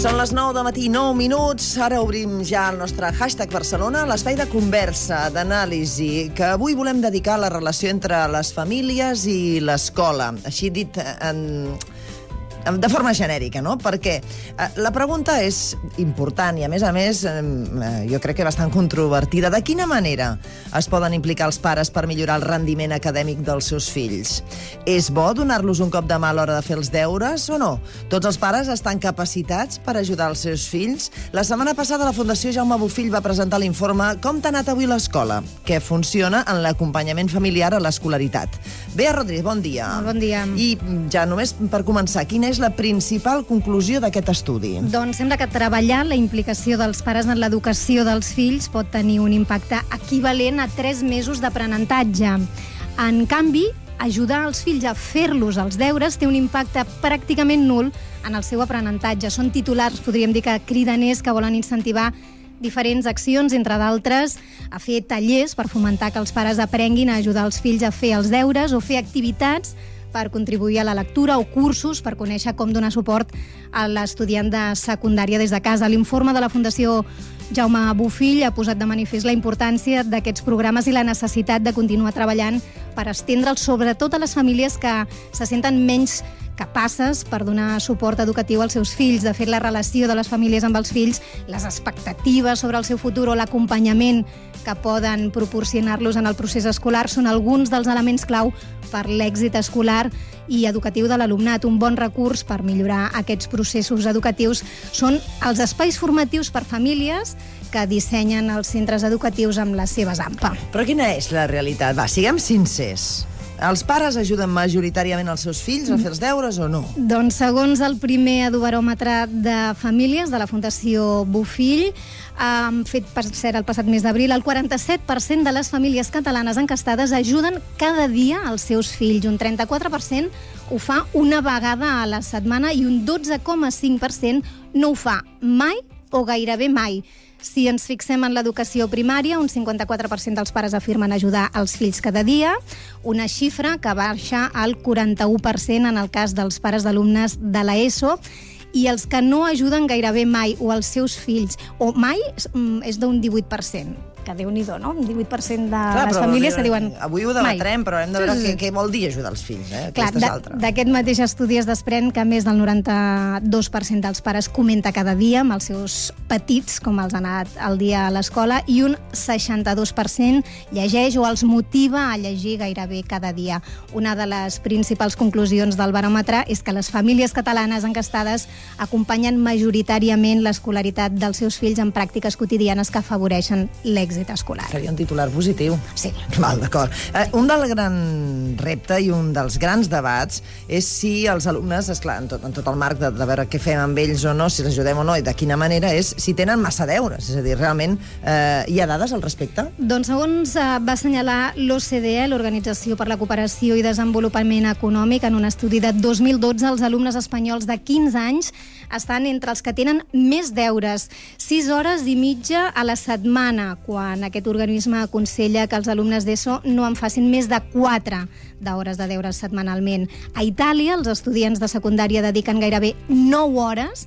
Són les 9 del matí, 9 minuts. Ara obrim ja el nostre hashtag Barcelona, l'espai de conversa, d'anàlisi, que avui volem dedicar a la relació entre les famílies i l'escola. Així dit de forma genèrica, no? Perquè la pregunta és important i, a més, jo crec que bastant controvertida. De quina manera es poden implicar els pares per millorar el rendiment acadèmic dels seus fills? És bo donar-los un cop de mà a l'hora de fer els deures o no? Tots els pares estan capacitats per ajudar els seus fills? La setmana passada la Fundació Jaume Bofill va presentar l'informe Com t'ha anat avui l'escola?, que funciona en l'acompanyament familiar a l'escolaritat. Bea Rodríguez, bon dia. Bon dia. I ja només per començar, quina és la principal conclusió d'aquest estudi? Doncs sembla que treballar la implicació dels pares en l'educació dels fills pot tenir un impacte equivalent a 3 mesos d'aprenentatge. En canvi, ajudar els fills a fer-los els deures té un impacte pràcticament nul en el seu aprenentatge. Són titulars, podríem dir, que cridaners que volen incentivar diferents accions, entre d'altres, a fer tallers per fomentar que els pares aprenguin a ajudar els fills a fer els deures o fer activitats per contribuir a la lectura o cursos per conèixer com donar suport a l'estudiant de secundària des de casa. L'informe de la Fundació Jaume Bofill ha posat de manifest la importància d'aquests programes i la necessitat de continuar treballant per estendre'ls sobretot a les famílies que se senten menys capaces per donar suport educatiu als seus fills. De fet, la relació de les famílies amb els fills, les expectatives sobre el seu futur o l'acompanyament que poden proporcionar-los en el procés escolar són alguns dels elements clau per l'èxit escolar i educatiu de l'alumnat. Un bon recurs per millorar aquests processos educatius són els espais formatius per famílies que dissenyen els centres educatius amb les seves AMPA. Però quina és la realitat? Va, siguem sincers. Els pares ajuden majoritàriament els seus fills a fer els deures o no? Doncs segons el primer edubaròmetre de famílies de la Fundació Bofill, fet per cert el passat mes d'abril, el 47% de les famílies catalanes encastades ajuden cada dia els seus fills. Un 34% ho fa una vegada a la setmana i un 12,5% no ho fa mai o gairebé mai. Si ens fixem en l'educació primària, un 54% dels pares afirmen ajudar els fills cada dia, una xifra que baixa al 41% en el cas dels pares d'alumnes de l'ESO, i els que no ajuden gairebé mai o els seus fills, o mai, és d'un 18%. Que Déu-n'hi-do, no? Un 18% de les famílies que diuen avui ho debatrem, però hem de veure què vol dir ajudar els fills. Clar, d'aquest mateix estudi es desprèn que més del 92% dels pares comenta cada dia amb els seus petits, com els ha anat el dia a l'escola, i un 62% llegeix o els motiva a llegir gairebé cada dia. Una de les principals conclusions del baròmetre és que les famílies catalanes encastades acompanyen majoritàriament l'escolaritat dels seus fills en pràctiques quotidianes que afavoreixen l'èxit escolar. Seria un titular positiu. Sí. Val, d'acord. Un del gran repte i un dels grans debats és si els alumnes, esclar, en tot el marc de veure què fem amb ells o no, si els ajudem o no i de quina manera, és si tenen massa deures. És a dir, realment hi ha dades al respecte? Doncs segons va assenyalar l'OCDE, l'Organització per la Cooperació i Desenvolupament Econòmic, en un estudi de 2012, els alumnes espanyols de 15 anys estan entre els que tenen més deures, 6 hores i mitja a la setmana, quan aquest organisme aconsella que els alumnes d'ESO no en facin més de 4 d'hores de deures setmanalment. A Itàlia, els estudiants de secundària dediquen gairebé 9 hores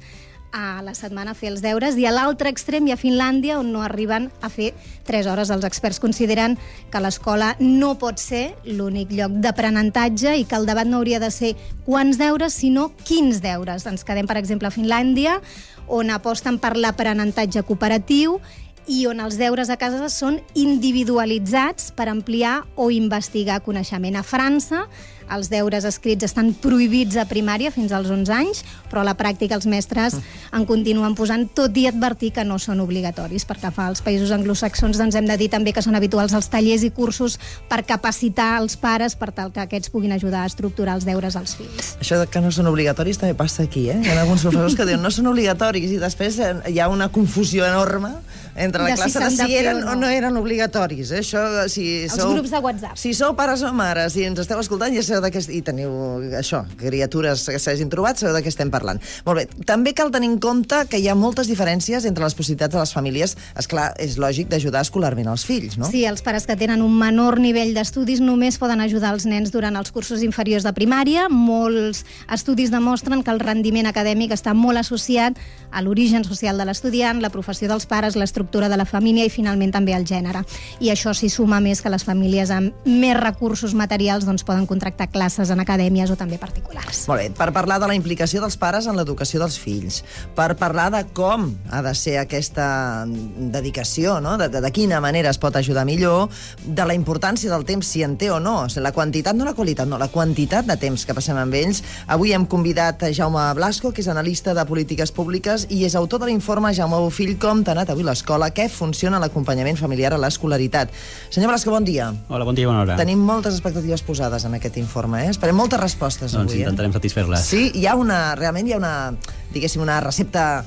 a la setmana a fer els deures, i a l'altre extrem hi ha Finlàndia, on no arriben a fer 3 hores. Els experts consideren que l'escola no pot ser l'únic lloc d'aprenentatge i que el debat no hauria de ser quants deures, sinó quins deures. Ens quedem, per exemple, a Finlàndia, on aposten per l'aprenentatge cooperatiu i on els deures a casa són individualitzats per ampliar o investigar coneixement. A França, els deures escrits estan prohibits a primària fins als 11 anys, però a la pràctica els mestres en continuen posant, tot i advertir que no són obligatoris. Per què fa als països anglosaxons, doncs hem de dir també que són habituals els tallers i cursos per capacitar els pares per tal que aquests puguin ajudar a estructurar els deures als fills. Això que no són obligatoris també passa aquí, Hi ha alguns professors que diuen no són obligatoris i després hi ha una confusió enorme entre la classe de si eren o no eren obligatoris. Això, si els grups de WhatsApp. Si sou pares o mares i ens esteu escoltant, ja i teniu això, criatures que s'hagin trobat, sabeu de què estem parlant. Molt bé, també cal tenir en compte que hi ha moltes diferències entre les possibilitats de les famílies. Esclar, és lògic d'ajudar escolarment els fills, no? Sí, els pares que tenen un menor nivell d'estudis només poden ajudar els nens durant els cursos inferiors de primària. Molts estudis demostren que el rendiment acadèmic està molt associat a l'origen social de l'estudiant, la professió dels pares, l'estructura de la família i finalment també el gènere. I això s'hi suma més que les famílies amb més recursos materials poden contractar classes en acadèmies o també particulars. Molt bé, per parlar de la implicació dels pares en l'educació dels fills, per parlar de com ha de ser aquesta dedicació, no? De quina manera es pot ajudar millor, de la importància del temps, si en té o no, la quantitat, no la qualitat, no, la quantitat de temps que passem amb ells. Avui hem convidat a Jaume Blasco, que és analista de polítiques públiques i és autor de l'informe Jaume Bofill, com t'ha anat avui l'escola, què funciona l'acompanyament familiar a l'escolaritat. Senyor Blasco, bon dia. Hola, bon dia, bona hora. Tenim moltes expectatives posades en aquest informe, Esperem moltes respostes avui. Doncs intentarem satisfer-les. Sí, realment hi ha una, diguéssim, una recepta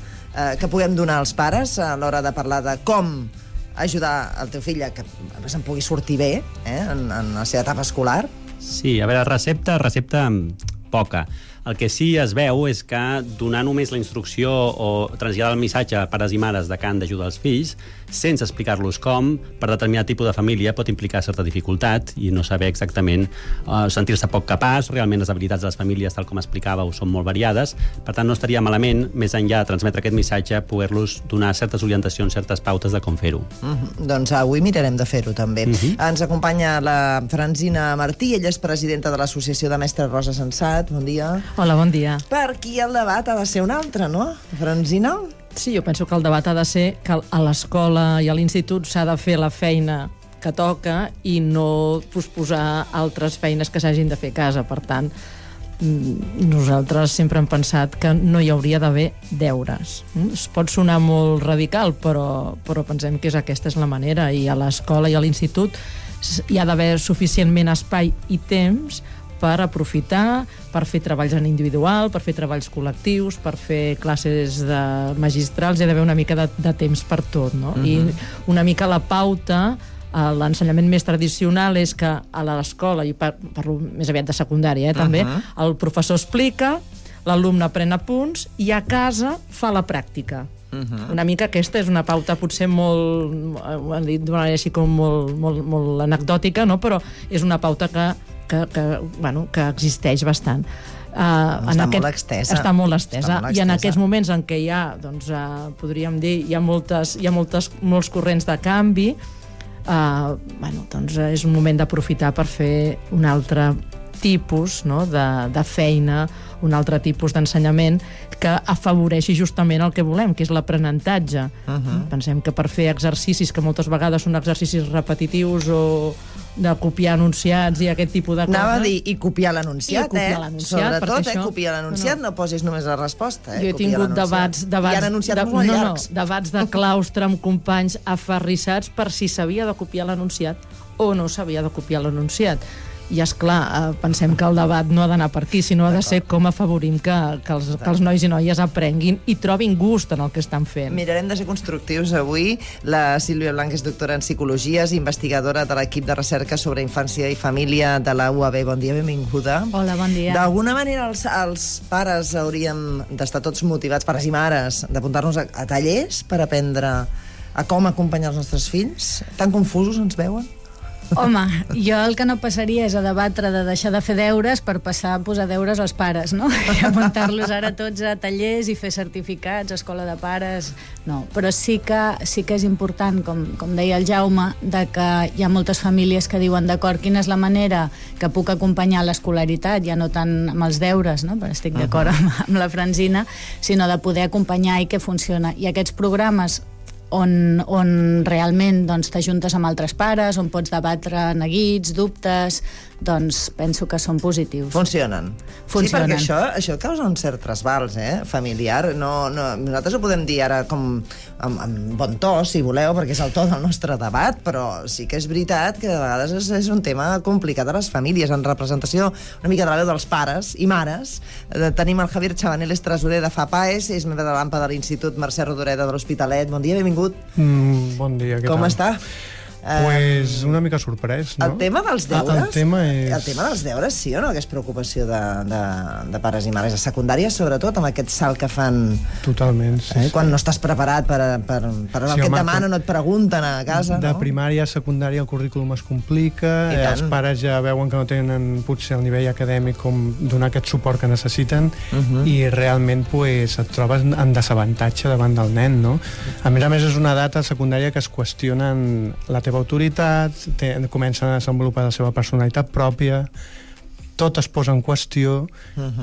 que puguem donar als pares a l'hora de parlar de com ajudar el teu fill a que se'n pugui sortir bé en la seva etapa escolar? Sí, a veure, recepta poca. El que sí es veu és que donar només la instrucció o traslladar el missatge a pares i mares de que han d'ajudar els fills, sense explicar-los com, per determinat tipus de família pot implicar certa dificultat i no saber exactament, sentir-se poc capaç. Realment les habilitats de les famílies, tal com explicàveu, són molt variades. Per tant, no estaria malament, més enllà de transmetre aquest missatge, poder-los donar certes orientacions, certes pautes de com fer-ho. Doncs avui mirarem de fer-ho, també. Ens acompanya la Francina Martí, ella és presidenta de l'Associació de Mestres Rosa Sensat. Bon dia. Hola, bon dia. Per aquí el debat ha de ser un altre, no, Francina? Sí, jo penso que el debat ha de ser que a l'escola i a l'institut s'ha de fer la feina que toca i no posposar altres feines que s'hagin de fer a casa. Per tant, nosaltres sempre hem pensat que no hi hauria d'haver deures. Es pot sonar molt radical, però pensem que aquesta és la manera, i a l'escola i a l'institut hi ha d'haver suficientment espai i temps per aprofitar, per fer treballs en individual, per fer treballs col·lectius, per fer classes de magistrals. Hi ha d'haver una mica de temps per tot, no? I una mica la pauta, l'ensenyament més tradicional és que a l'escola, i parlo més aviat de secundària, també, el professor explica, l'alumne pren apunts i a casa fa la pràctica. Una mica aquesta és una pauta potser molt, ho han dit d'una manera així com molt anecdòtica, no? Però és una pauta que existeix bastant. Està molt extesa. Està molt estesa. I en aquests moments en què hi ha, doncs, podríem dir, hi ha molts corrents de canvi, doncs és un moment d'aprofitar per fer un altre tipus de feina, un altre tipus d'ensenyament que afavoreixi justament el que volem, que és l'aprenentatge. Pensem que per fer exercicis que moltes vegades són exercicis repetitius o de copiar anunciats i aquest tipus de coses... Anava a dir, i copiar l'anunciat, sobretot, copiar l'anunciat, no posis només la resposta. Jo he tingut debats de claustre amb companys aferrissats per si s'havia de copiar l'anunciat o no s'havia de copiar l'anunciat. I, esclar, pensem que el debat no ha d'anar per aquí, sinó ha de ser com afavorim que els nois i noies aprenguin i trobin gust en el que estan fent. Mirarem de ser constructius avui. La Sílvia Blanc és doctora en Psicologia, és investigadora de l'equip de recerca sobre infància i família de la UAB. Bon dia, benvinguda. Hola, bon dia. D'alguna manera els pares hauríem d'estar tots motivats, pares i mares, d'apuntar-nos a tallers per aprendre a com acompanyar els nostres fills? Tan confusos ens veuen? Home, jo el que no passaria és a debatre de deixar de fer deures per passar a posar deures als pares, no? I apuntar-los ara tots a tallers i fer certificats, escola de pares... No, però sí que és important, com deia el Jaume, de que hi ha moltes famílies que diuen, d'acord, quina és la manera que puc acompanyar l'escolaritat, ja no tant amb els deures, no? Però estic d'acord amb la Francina, sinó de poder acompanyar i que funciona. I aquests programes on realment t'ajuntes amb altres pares, on pots debatre neguits, dubtes, doncs penso que són positius. Funcionen. Sí, perquè això causa un cert trasbals, familiar. Nosaltres ho podem dir ara com amb bon to, si voleu, perquè és el to del nostre debat, però sí que és veritat que de vegades és un tema complicat a les famílies, en representació una mica de la veu dels pares i mares. Tenim el Javier Chabanel, és tresorer de FAPAES, és membre de l'AMPA de l'Institut Mercè Rodoreda de l'Hospitalet. Bon dia, benvingut. Bon dia, què tal? Com està? Pues una mica sorprès, no? El tema dels deures... El tema dels deures, sí o no? Que és preocupació de pares i mares a secundària, sobretot amb aquest salt que fan... Totalment, sí. Quan no estàs preparat per el que et demanen, no et pregunten a casa, no? De primària a secundària el currículum es complica, els pares ja veuen que no tenen potser el nivell acadèmic com donar aquest suport que necessiten i realment pues, et trobes en desavantatge davant del nen, no? A més és una edat a secundària que es qüestionen la teva autoritat, comencen a desenvolupar la seva personalitat pròpia, tot es posa en qüestió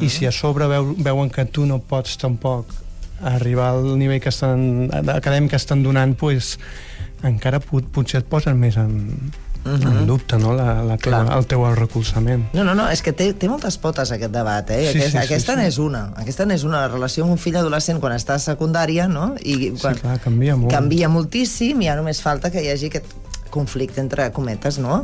i si a sobre veuen que tu no pots tampoc arribar al nivell acadèmic que estan donant, pues, encara potser et posen més en dubte, no? El teu recolzament. No, és que té moltes potes aquest debat, eh? Aquesta n'és una. Aquesta n'és una. La relació amb un fill adolescent quan està a secundària, no? Sí, clar, canvia molt. Canvia moltíssim i ja només falta que hi hagi aquest conflicte entre cometes, no?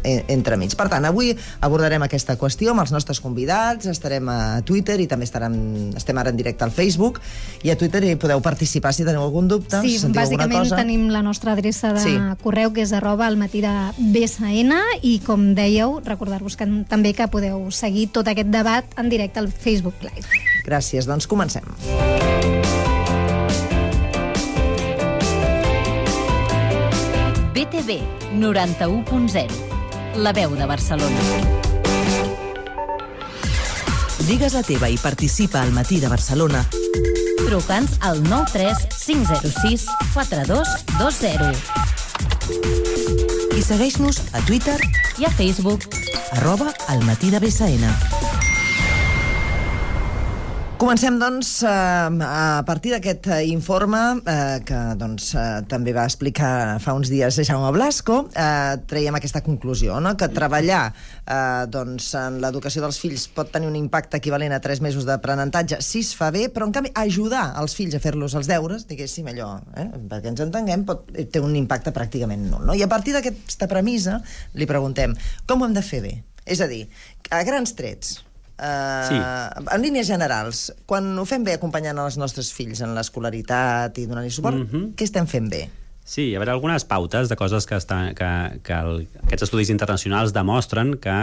Entre mig. Per tant, avui abordarem aquesta qüestió amb els nostres convidats, estarem a Twitter i també estem ara en directe al Facebook, i a Twitter hi podeu participar si teniu algun dubte, si sentiu alguna cosa. Sí, bàsicament tenim la nostra adreça de correu, que és @almatidabsn, i com dèieu, recordar-vos també que podeu seguir tot aquest debat en directe al Facebook Live. Gràcies, doncs comencem. BTV 91.0, la veu de Barcelona. Digues la teva i participa al Matí de Barcelona. Truca'ns al 93 506 4220. I segueix-nos a Twitter i a Facebook @almatidabsn. Comencem, doncs, a partir d'aquest informe que també va explicar fa uns dies Jaume Blasco. Traiem aquesta conclusió, no? Que treballar en l'educació dels fills pot tenir un impacte equivalent a 3 mesos d'aprenentatge si es fa bé, però en canvi ajudar els fills a fer-los els deures, diguéssim allò, perquè ens entenguem, té un impacte pràcticament nul, no? I a partir d'aquesta premissa li preguntem com ho hem de fer bé? És a dir, a grans trets, en línies generals, quan ho fem bé acompanyant els nostres fills en l'escolaritat i donant-li suport, què estem fent bé? Sí, hi ha algunes pautes de coses que aquests estudis internacionals demostren que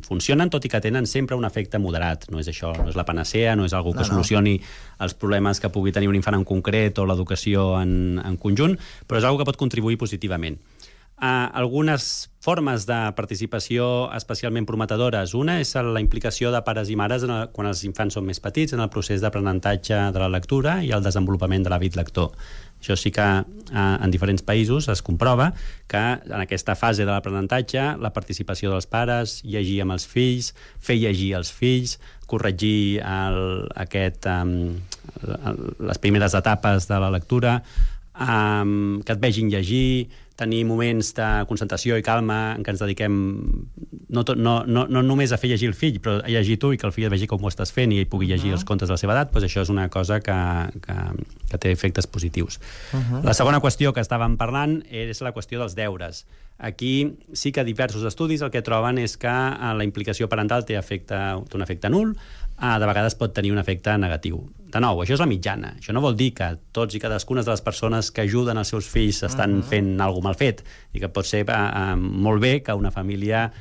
funcionen, tot i que tenen sempre un efecte moderat. No és això, no és la panacea, no és algo que solucioni els problemes que pugui tenir un infant en concret o l'educació en conjunt, però és algo que pot contribuir positivament. Algunes formes de participació especialment prometedores. Una és la implicació de pares i mares quan els infants són més petits en el procés d'aprenentatge de la lectura i el desenvolupament de l'hàbit lector. Això sí que en diferents països es comprova que en aquesta fase de l'aprenentatge la participació dels pares, llegir amb els fills, fer llegir als fills, corregir les primeres etapes de la lectura, que et vegin llegir, tenir moments de concentració i calma en què ens dediquem no només a fer llegir el fill, però a llegir tu i que el fill et vegi com ho estàs fent i ell pugui llegir els contes de la seva edat, doncs això és una cosa que té efectes positius. La segona qüestió que estàvem parlant és la qüestió dels deures. Aquí sí que diversos estudis el que troben és que la implicació parental té un efecte nul, de vegades pot tenir un efecte negatiu. De nou, això és la mitjana. Això no vol dir que tots i cadascuna de les persones que ajuden els seus fills estan fent alguna cosa mal fet, i que pot ser molt bé que una família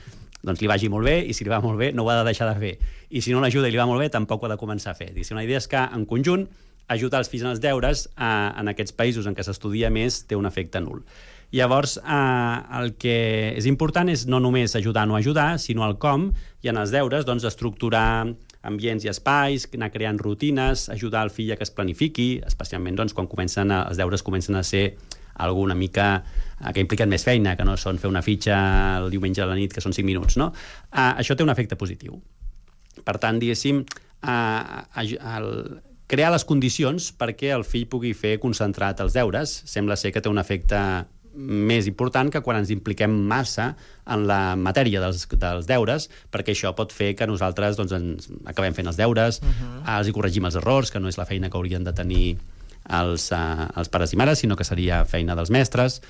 li vagi molt bé, i si li va molt bé no ho ha de deixar de fer. I si no l'ajuda i li va molt bé, tampoc ho ha de començar a fer. La idea és que, en conjunt, ajudar els fills en els deures en aquests països en què s'estudia més té un efecte nul. Llavors, el que és important és no només ajudar o no ajudar, sinó el com, i en els deures, estructurar ambients i espais, anar creant rutines, ajudar el fill a que es planifiqui, especialment quan els deures comencen a ser alguna mica que impliquen més feina, que no són fer una fitxa el diumenge a la nit, que són 5 minuts, no? Això té un efecte positiu. Per tant, diguéssim, crear les condicions perquè el fill pugui fer concentrat els deures sembla ser que té un efecte més important que quan ens impliquem massa en la matèria dels deures, perquè això pot fer que nosaltres ens acabem fent els deures, els hi corregim els errors, que no és la feina que haurien de tenir els pares i mares, sinó que seria feina dels mestres,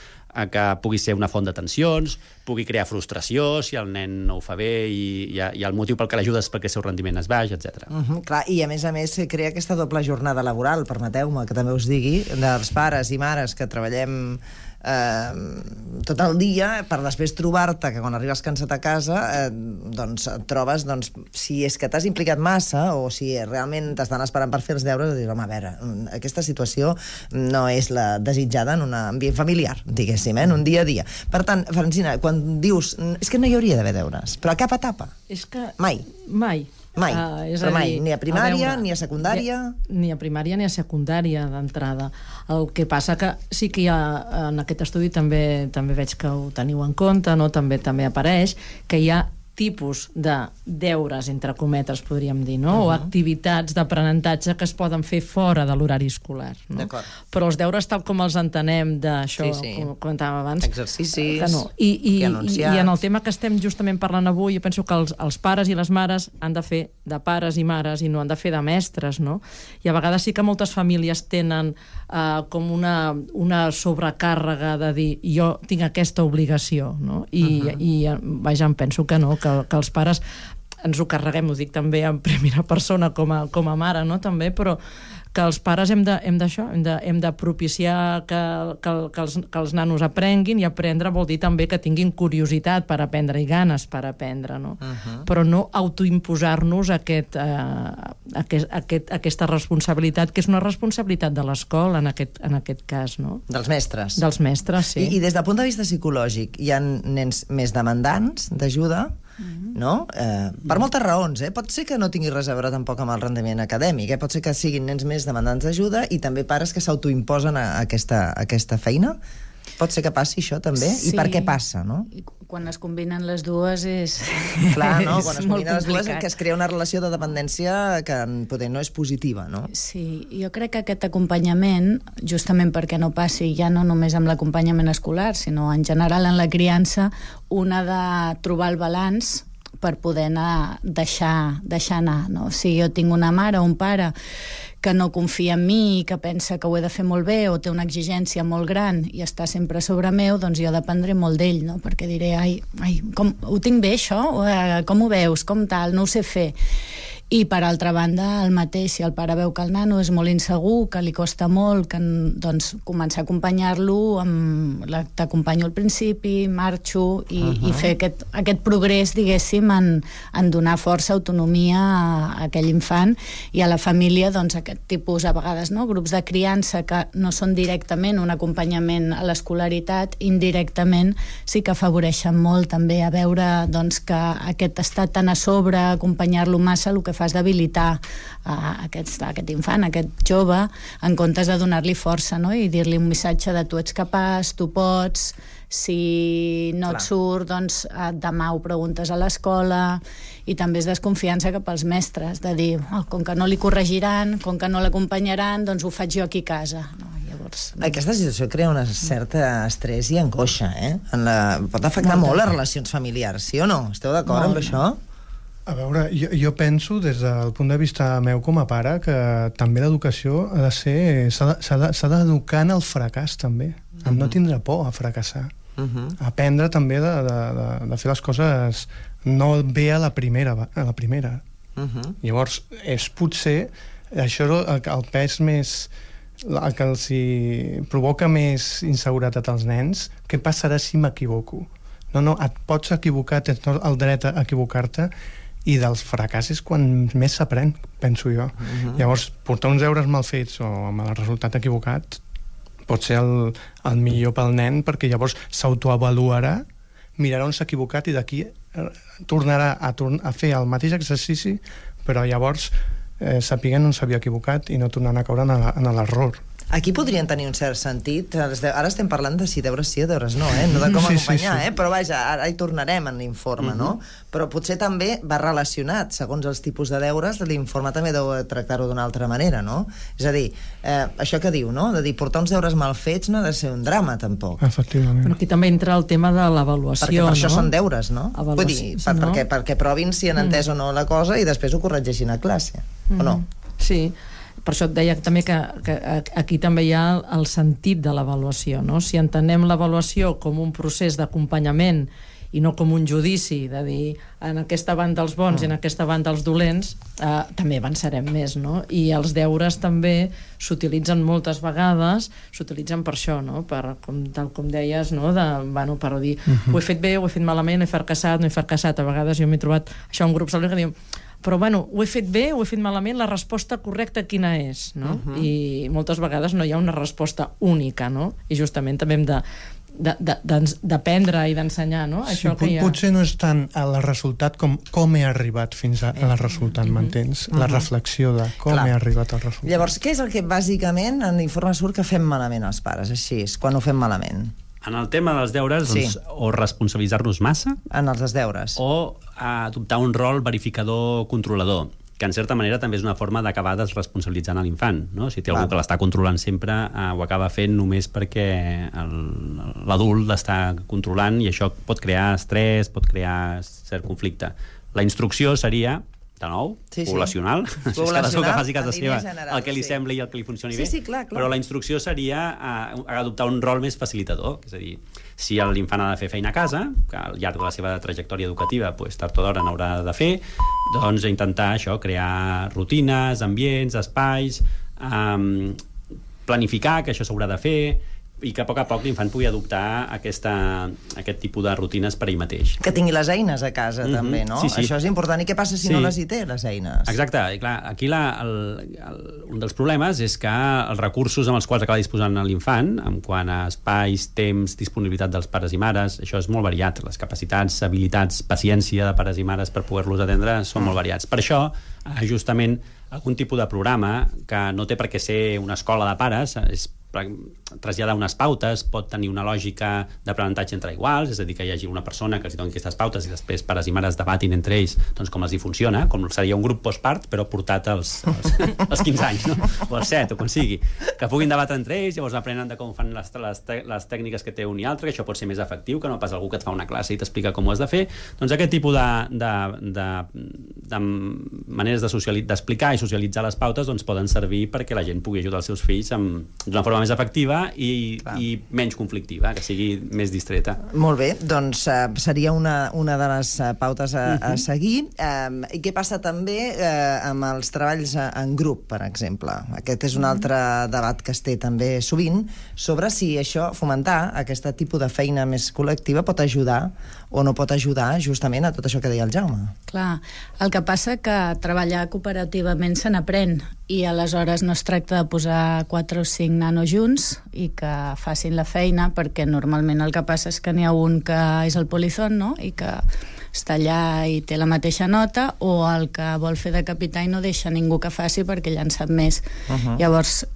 que pugui ser una font de tensions, pugui crear frustració si el nen no ho fa bé i el motiu pel que l'ajudes perquè el seu rendiment és baix, etc. Clar, i a més crea aquesta doble jornada laboral, permeteu-me que també us digui, dels pares i mares que treballem tot el dia per després trobar-te que quan arribes cansat a casa doncs et trobes si és que t'has implicat massa o si realment t'estan esperant per fer els deures, dius, home, a veure, aquesta situació no és la desitjada en un ambient familiar, diguéssim, en un dia a dia. Per tant, Francina, quan dius és que no hi hauria d'haver deures, però a cap etapa? És que... Mai. És però a mai, dir, ni a primària, ni a secundària... Ni a primària ni a secundària, d'entrada. El que passa que sí que hi ha, en aquest estudi també veig que ho teniu en compte, no? També apareix que hi ha tipus de deures, entre cometes, podríem dir, no? O activitats d'aprenentatge que es poden fer fora de l'horari escolar. No? Però els deures, tal com els entenem d'això, com comentàvem abans... Exercicis, que no. I en el tema que estem justament parlant avui, jo penso que els pares i les mares han de fer de pares i mares i no han de fer de mestres, no? I a vegades sí que moltes famílies tenen com una sobrecàrrega de dir jo tinc aquesta obligació, no? I vaja, em penso que no, que els pares ens ho carreguem, ho dic també en primera persona com a mare, no? També, però que els pares hem de propiciar que els nanos aprenguin, i aprendre vol dir també que tinguin curiositat per aprendre i ganes per aprendre, no? Però no autoimposar-nos aquesta responsabilitat, que és una responsabilitat de l'escola en aquest cas, no? Dels mestres. Dels mestres, sí. I des del punt de vista psicològic, hi ha nens més demandants d'ajuda, no? Per moltes raons, pot ser que no tingui res a veure tampoc amb el rendiment acadèmic, pot ser que siguin nens més demandants d'ajuda i també pares que s'autoimposen aquesta feina. Pot ser que passi això també? Sí. I per què passa, no? Quan es combinen les dues és... Clar, no? Quan es combinen les dues que es crea una relació de dependència que poder no és positiva, no? Sí, jo crec que aquest acompanyament, justament perquè no passi ja no només amb l'acompanyament escolar, sinó en general en la criança, un ha de trobar el balanç per poder deixar anar, no? Si jo tinc una mare o un pare que no confia en mi i que pensa que ho he de fer molt bé o té una exigència molt gran i està sempre sobre meu, doncs jo dependré molt d'ell, no? Perquè diré, ho tinc bé això? Com ho veus? Com tal? No ho sé fer. I per altra banda, el mateix, si el pare veu que el nano és molt insegur, que li costa molt, doncs començar a acompanyar-lo, t'acompanyo al principi, marxo, i fer aquest progrés, diguéssim, en donar força, autonomia a aquell infant i a la família, doncs aquest tipus, a vegades, no? Grups de criança que no són directament un acompanyament a l'escolaritat, indirectament sí que afavoreixen molt també a veure doncs, que aquest estat tan a sobre, acompanyar-lo massa, el que fa és d'habilitar aquest infant, aquest jove, en comptes de donar-li força, no? I dir-li un missatge de tu ets capaç, tu pots, si no et surt, doncs demà ho preguntes a l'escola, i també és desconfiança cap als mestres, de dir, com que no li corregiran, com que no l'acompanyaran, doncs ho faig jo aquí a casa. Aquesta situació crea una certa estrès i angoixa, pot afectar molt les relacions familiars, sí o no? Esteu d'acord amb això? A veure, jo penso, des del punt de vista meu com a pare, que també l'educació ha de ser... s'ha d'educar en el fracàs, també. En no tindre por a fracassar. Aprendre també de fer les coses no bé a la primera. Llavors, és potser això el pes més... el que els provoca més inseguretat als nens. Què passarà si m'equivoco? No, et pots equivocar, tens el dret a equivocar-te, i dels fracassos quan més s'aprèn, penso jo. Llavors, portar uns deures mal fets o amb el resultat equivocat pot ser el millor pel nen, perquè llavors s'autoavaluarà, mirarà on s'ha equivocat i d'aquí tornarà a fer el mateix exercici, però llavors sapiguen on s'havia equivocat i no tornant a caure en l'error. Aquí podrien tenir un cert sentit. Ara estem parlant de si deures sí o deures no, no de com acompanyar, però vaja, ara hi tornarem en l'informe, no? Però potser també va relacionat, segons els tipus de deures, l'informe també deu tractar-ho d'una altra manera, no? És a dir, això que diu, no? De dir, portar uns deures mal fets no ha de ser un drama, tampoc. Efectivament. Però aquí també entra el tema de l'avaluació, perquè per això són deures, no? Vull dir, perquè provin si han entès o no la cosa i després ho corregeixin a classe, o no? Sí. Per això et deia també que aquí també hi ha el sentit de l'avaluació, no? Si entenem l'avaluació com un procés d'acompanyament i no com un judici de dir en aquesta banda els bons i en aquesta banda els dolents, també avançarem més, no? I els deures també s'utilitzen moltes vegades, s'utilitzen per això, no? Tal com deies, no? Per dir, ho he fet bé, ho he fet malament, he fracassat, no he fracassat. A vegades jo m'he trobat això en grups que diuen, però ho he fet bé, ho he fet malament, la resposta correcta quina és, no? I moltes vegades no hi ha una resposta única, no? I justament també hem d'aprendre i d'ensenyar, no? Sí, potser no és tant el resultat com he arribat fins al resultat, m'entens? La reflexió de com he arribat al resultat. Llavors, què és el que bàsicament en l'informe surt que fem malament els pares, així, quan ho fem malament? En el tema dels deures, doncs, o responsabilitzar-nos massa... En els deures. O adoptar un rol verificador-controlador, que en certa manera també és una forma d'acabar desresponsabilitzant a l'infant, no? Si té algú que l'està controlant sempre, ho acaba fent només perquè l'adult l'està controlant i això pot crear estrès, pot crear cert conflicte. La instrucció seria, de nou, poblacional, és cadascú que faci casa seva el que li sembli i el que li funcioni bé, però la instrucció seria adoptar un rol més facilitador, és a dir, si l'infant ha de fer feina a casa, que al llarg de la seva trajectòria educativa tard o d'hora n'haurà de fer, doncs intentar això, crear rutines, ambients, espais, planificar que això s'haurà de fer, i que a poc l'infant pugui adoptar aquest tipus de rutines per ell mateix. Que tingui les eines a casa, també, no? Sí. Això és important. I què passa si no les hi té, les eines? Exacte. I clar, aquí un dels problemes és que els recursos amb els quals acaba disposant l'infant, en quant a espais, temps, disponibilitat dels pares i mares, això és molt variat. Les capacitats, habilitats, paciència de pares i mares per poder-los atendre són molt variats. Per això, justament, algun tipus de programa que no té per què ser una escola de pares, és traslladar unes pautes, pot tenir una lògica d'aprenentatge entre iguals, és a dir, que hi hagi una persona que els doni aquestes pautes i després pares i mares debatin entre ells doncs, com els hi funciona, com seria un grup postpart, però portat als 15 anys, no? O als 7, o quan sigui. Que puguin debatre entre ells, llavors aprenen de com fan les tècniques que té un i altre, que això pot ser més efectiu, que no pas algú que et fa una classe i t'explica com ho has de fer. Doncs aquest tipus de maneres d'explicar i socialitzar les pautes doncs, poden servir perquè la gent pugui ajudar els seus fills d'una forma més efectiva i menys conflictiva, que sigui més distreta. Molt bé, doncs seria una de les pautes a seguir. I què passa també amb els treballs en grup, per exemple? Aquest és un altre debat que es té també sovint sobre si això, fomentar aquest tipus de feina més col·lectiva pot ajudar o no pot ajudar justament a tot això que deia el Jaume. Clar, el que passa que treballar cooperativament se n'aprèn i aleshores no es tracta de posar 4 o 5 nanos junts i que facin la feina, perquè normalment el que passa és que n'hi ha un que és el polizón, no? I que està allà i té la mateixa nota, o el que vol fer de capità i no deixa ningú que faci perquè ella en sap més. Llavors,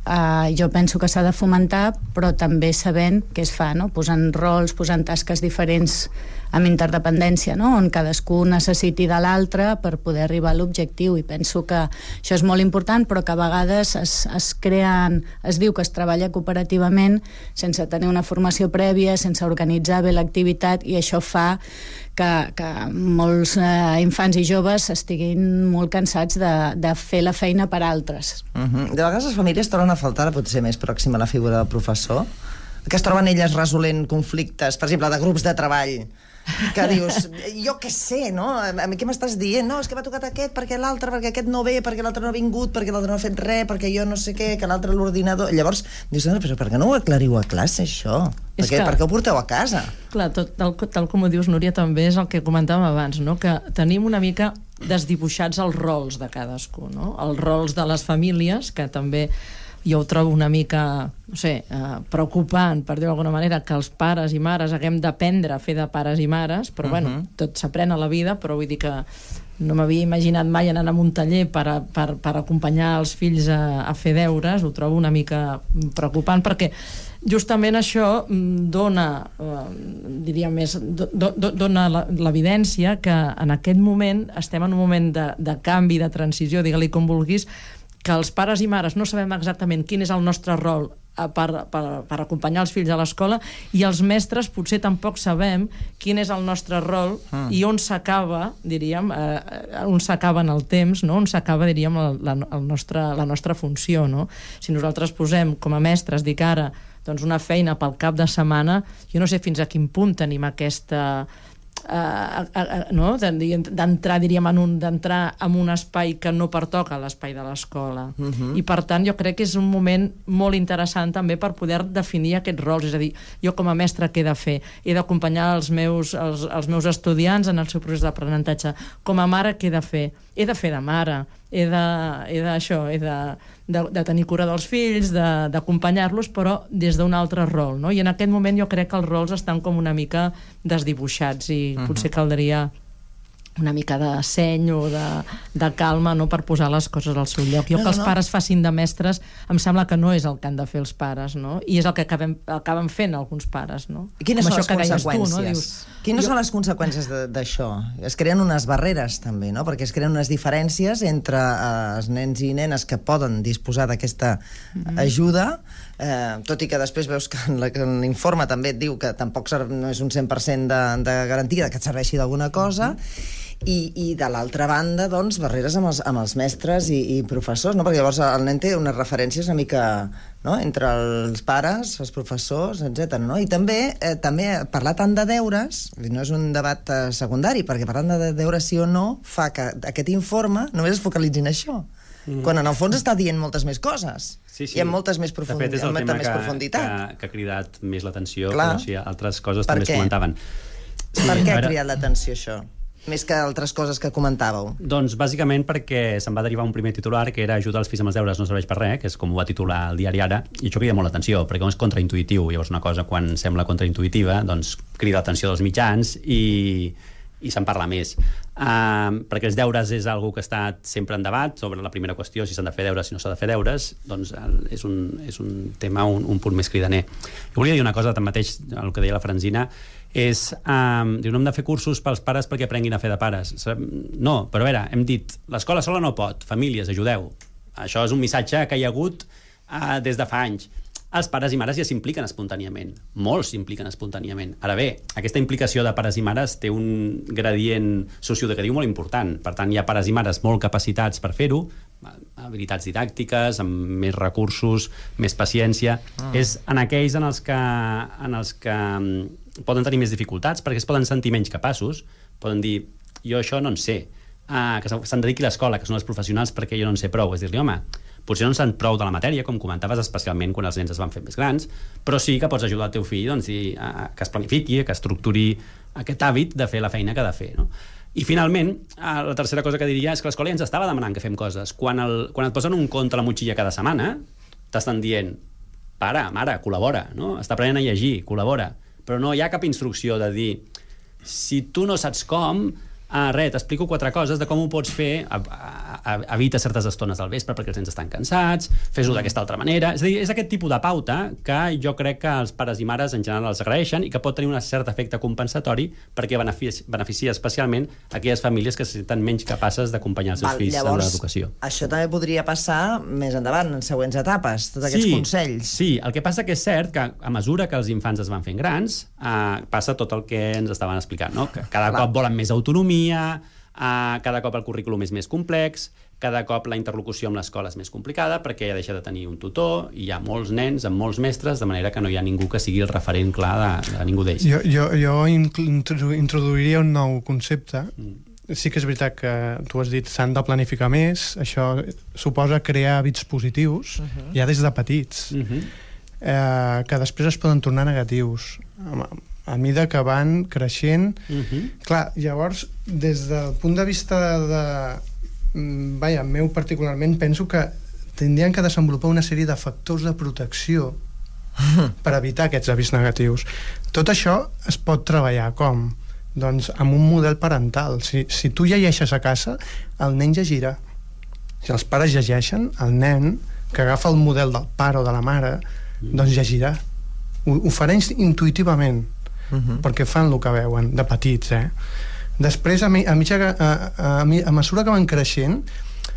jo penso que s'ha de fomentar, però també sabent què es fa, no? Posant rols, posant tasques diferents amb interdependència, no? On cadascú necessiti de l'altre per poder arribar a l'objectiu, i penso que això és molt important, però que a vegades es diu que es treballa cooperativament sense tenir una formació prèvia, sense organitzar bé l'activitat, i això fa que molts infants i joves estiguin molt cansats de fer la feina per altres. De vegades les famílies troben a faltar potser més pròxima a la figura del professor, que es troben elles resolent conflictes, per exemple, de grups de treball, que dius, jo què sé, no? Què m'estàs dient? No, és que m'ha tocat aquest, perquè l'altre, perquè aquest no ve, perquè l'altre no ha vingut, perquè l'altre no ha fet res, perquè jo no sé què, que l'altre l'ordinador... Llavors, dius, però per què no ho aclariu a classe, això? Per què ho porteu a casa? Clar, tal com ho dius, Núria, també és el que comentàvem abans, no? Que tenim una mica desdibuixats els rols de cadascú, no? Els rols de les famílies, que també jo ho trobo una mica, no sé, preocupant, per dir-ho d'alguna manera, que els pares i mares haguem d'aprendre a fer de pares i mares, però bueno, tot s'aprèn a la vida, però vull dir que no m'havia imaginat mai anar a un taller per acompanyar els fills a fer deures. Ho trobo una mica preocupant, perquè justament això dona, diria més, dona l'evidència que en aquest moment estem en un moment de canvi, de transició, digue-li com vulguis, que els pares i mares no sabem exactament quin és el nostre rol per acompanyar els fills a l'escola, i els mestres potser tampoc sabem quin és el nostre rol i on s'acaba, diríem, on s'acaba en el temps, no? On s'acaba, diríem, la nostra funció, no? Si nosaltres posem com a mestres, dic ara, doncs una feina pel cap de setmana, jo no sé fins a quin punt tenim aquesta no? D'entrar, diríem, d'entrar en un espai que no pertoca a l'espai de l'escola. I per tant jo crec que és un moment molt interessant també per poder definir aquests rols, és a dir, jo com a mestre què he de fer? He d'acompanyar els meus estudiants en el seu procés d'aprenentatge. Com a mare què he de fer? He de fer de mare, he de tenir cura dels fills, d'acompanyar-los, però des d'un altre rol, no? I en aquest moment jo crec que els rols estan com una mica desdibuixats i potser caldria una mica de seny o de calma, no?, per posar les coses al seu lloc. Jo que els pares facin de mestres em sembla que no és el que han de fer els pares, no? I és el que acaben fent alguns pares, no? Quines són les conseqüències? Quines són les conseqüències d'això? Es creen unes barreres, també, no? Perquè es creen unes diferències entre els nens i nenes que poden disposar d'aquesta ajuda, tot i que després veus que en l'informe també et diu que tampoc no és un 100% de garantia que et serveixi d'alguna cosa, i de l'altra banda, doncs, barreres amb els mestres i professors, no? Perquè llavors el nen té unes referències una mica, no?, entre els pares, els professors, etc. No? I també parlar tant de deures, no és un debat secundari, perquè parlant de deures sí o no fa que aquest informe només es focalitzi en això, quan en el fons està dient moltes més coses. Sí. I amb moltes més profunditat. De fet, és el tema que ha cridat més l'atenció, però sí, altres coses també es comentaven. Per què ha cridat l'atenció això? Més que altres coses que comentàveu. Doncs bàsicament perquè se'n va derivar un primer titular que era ajudar els fills amb els deures no serveix per res, que és com ho va titular el diari Ara, i això crida molt l'atenció, perquè és contraintuitiu. Llavors una cosa quan sembla contraintuitiva doncs crida l'atenció dels mitjans i se'n parla més. Perquè els deures és algo que ha estat sempre en debat sobre la primera qüestió, si s'han de fer deures, si no s'ha de fer deures, doncs és un tema, un punt més cridaner. Jo volia dir una cosa, tanmateix, el que deia la Francina, és, diu, no hem de fer cursos pels pares perquè aprenguin a fer de pares. No, però a veure, hem dit, l'escola sola no pot, famílies, ajudeu. Això és un missatge que hi ha hagut des de fa anys. Els pares i mares ja s'impliquen espontàniament. Molts s'impliquen espontàniament. Ara bé, aquesta implicació de pares i mares té un gradient socioeducatiu molt important. Per tant, hi ha pares i mares molt capacitats per fer-ho, habilitats didàctiques, amb més recursos, més paciència. És en aquells en els que poden tenir més dificultats, perquè es poden sentir menys capaços, poden dir, jo això no en sé, que se'n dediqui l'escola, que són els professionals, perquè jo no en sé prou. És dir-li, home, potser no en sent prou de la matèria, com comentaves, especialment quan els nens es van fer més grans, però sí que pots ajudar el teu fill doncs, que es planifiqui, que estructuri aquest hàbit de fer la feina que ha de fer, no? I finalment, la tercera cosa que diria és que l'escola ja ens estava demanant que fem coses. Quan et posen un conte a la motxilla cada setmana, t'estan dient, pare, mare, col·labora, no? Està aprenent a llegir, col·labora. Però no hi ha cap instrucció de dir, si tu no saps com, t'explico 4 coses de com ho pots fer, evita certes estones del vespre perquè els nens estan cansats, fes-ho d'aquesta altra manera. És a dir, és aquest tipus de pauta que jo crec que els pares i mares en general els agraeixen i que pot tenir un cert efecte compensatori perquè beneficia especialment aquelles famílies que se senten menys capaces d'acompanyar els seus fills en l'educació. Això també podria passar més endavant, en següents etapes, tots aquests consells. Sí, el que passa que és cert que a mesura que els infants es van fent grans, passa tot el que ens estaven explicant, no? Que cada cop volen més autonomia, cada cop el currículum és més complex, cada cop la interlocució amb l'escola és més complicada perquè ja deixa de tenir un tutor i hi ha molts nens amb molts mestres, de manera que no hi ha ningú que sigui el referent clar de ningú d'ells. Jo introduiria un nou concepte. Sí que és veritat que tu has dit s'han de planificar més, això suposa crear hàbits positius ja des de petits, que després es poden tornar negatius a mida que van creixent. Clar, llavors, des del punt de vista meu particularment, penso que tindrien que desenvolupar una sèrie de factors de protecció per evitar aquests hàbits negatius. Tot això es pot treballar com? Doncs amb un model parental. Si tu llegeixes a casa, el nen llegirà. Si els pares llegeixen, el nen que agafa el model del pare o de la mare, doncs llegirà. Ho farà intuïtivament, perquè fan el que veuen de petits. Després, a mesura que van creixent,